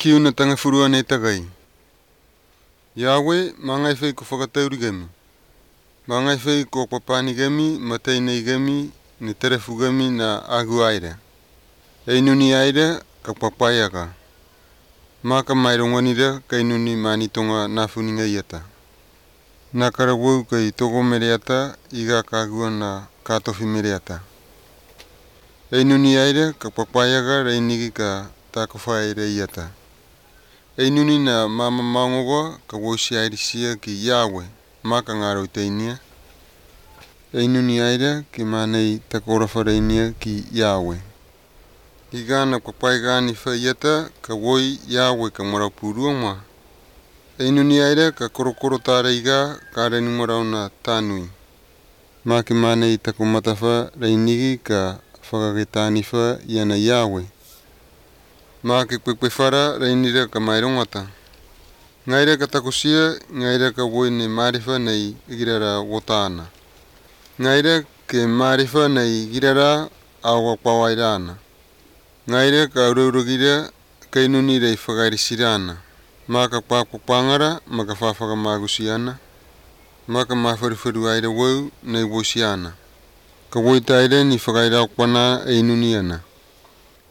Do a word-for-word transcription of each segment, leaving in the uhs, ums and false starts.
Kiu na tangafurua ne tagai. Yahweh, mangai fei ko whakatauri gemi. Mangai fei ko papani gemi, mateinei gemi, ni terefu gemi na agu aira. Einuni aira ka papaiaka. Maka maironganira kainuni manitonga nafuninga iata. Nakara wau kai togo mereata iga kagua na katofi mereata. Einuni aira ka papaiaka reinigi ka takofaire iata. Einuni na mama maungoga ka wosi airisia ki Yahweh, maka ngaro teinia. Einuni aira ki manei takora whareinia ki Yahweh. Igana papaigani whaiata ka woi Yahweh ka maraupurua ma. Einuni aira ka korokoro tāre iga ka renu na tānui. Maki manei tako matawha reinigi ka whakagetaniwha iana Yahweh. Maki kwekwe reinira ka mairongata. Ngaira ka takusia, ngaira ka woi ne mariwha nei girara wotana. Ngaira ke mariwha nei girara awa pawairana. Ngaira ka urauragira kainuni rei whakairisirana. Maka pāpapangara, maka whawhaka magusiana. Maka mawharuwharu aira wau nei wosiana. Ka woitaire ni whakairaokwana einuni ana.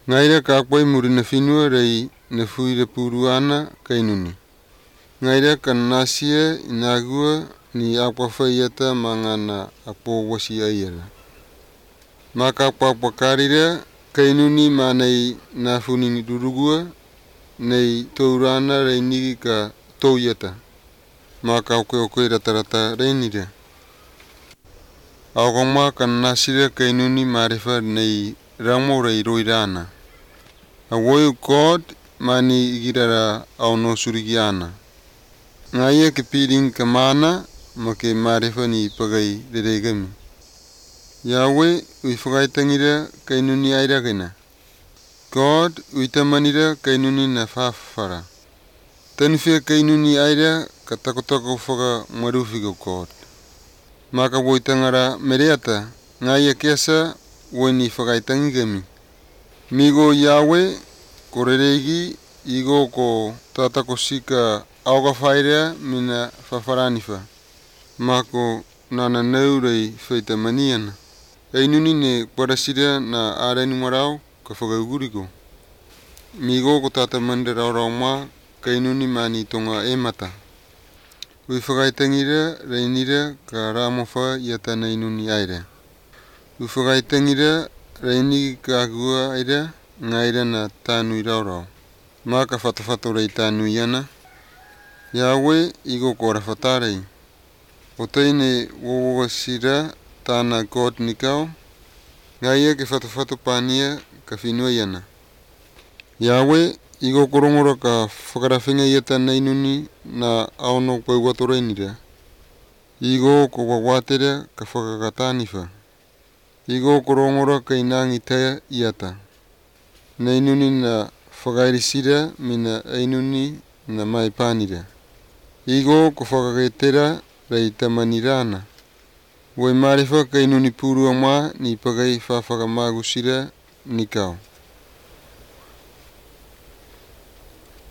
Ngaira ka koe murina whenua rei na fuire pūruana kainuni. Ngaira ka nasia inagua ni apawhaiata mangana apo wasi aiara. Maka papakarira kainuni manei nafuningi durugua nei tourana reinigi ka touiata. Maka oke oke ratarata reinira. Aogama ka nasira kainuni marewha nei ramo rei roirana. A woiu God mani igirara au no surigiana. Ngaia ke piring ka mana ma ke marewha ni pagai reregami. Yahweh ui whakaitangira kainuni airagena. God ui tamanira kainuni na whawhara. Tanuwhia kainuni aira ka takotako whaka maruwhigo God. Maka woitangara mereata ngaia keasa woi ni whakaitangigami. Migo Yahweh ko rereigi igo ko tatakosika aoga whairea mina whawharaniwha. Mako nana neurei whaita maniana. Einuni ne kwarasira na arenu marau ka whakauguriko. Migo ko tata mandera raurau ma kainuni mani tonga e mata. Ui whakaitangira reinira ka ramowha ia tana inuni aira. Ui whakaitangira reinigi ka agua aira ngaira na tānui raurau. Maka whatawhato rei tānui ana. Yahweh igo ko rawhatarei. O teine wowoga sira tāna God nikau. Ngaia ke whatawhato pānia ka whenua iana. Yahweh igo korongora ka whakarawhenga ia tana inuni na aono pauato reinira. Igo ko wawatere ka whakakataniwha. Igo korongora ka inangi tea iata. Na inuni na whakairisira mina ainuni na maipanira. Igo ko whakagetera rei tamanirana. Woi marewha kainuni pūrua mā ni pagai whawhakamagusira nikau.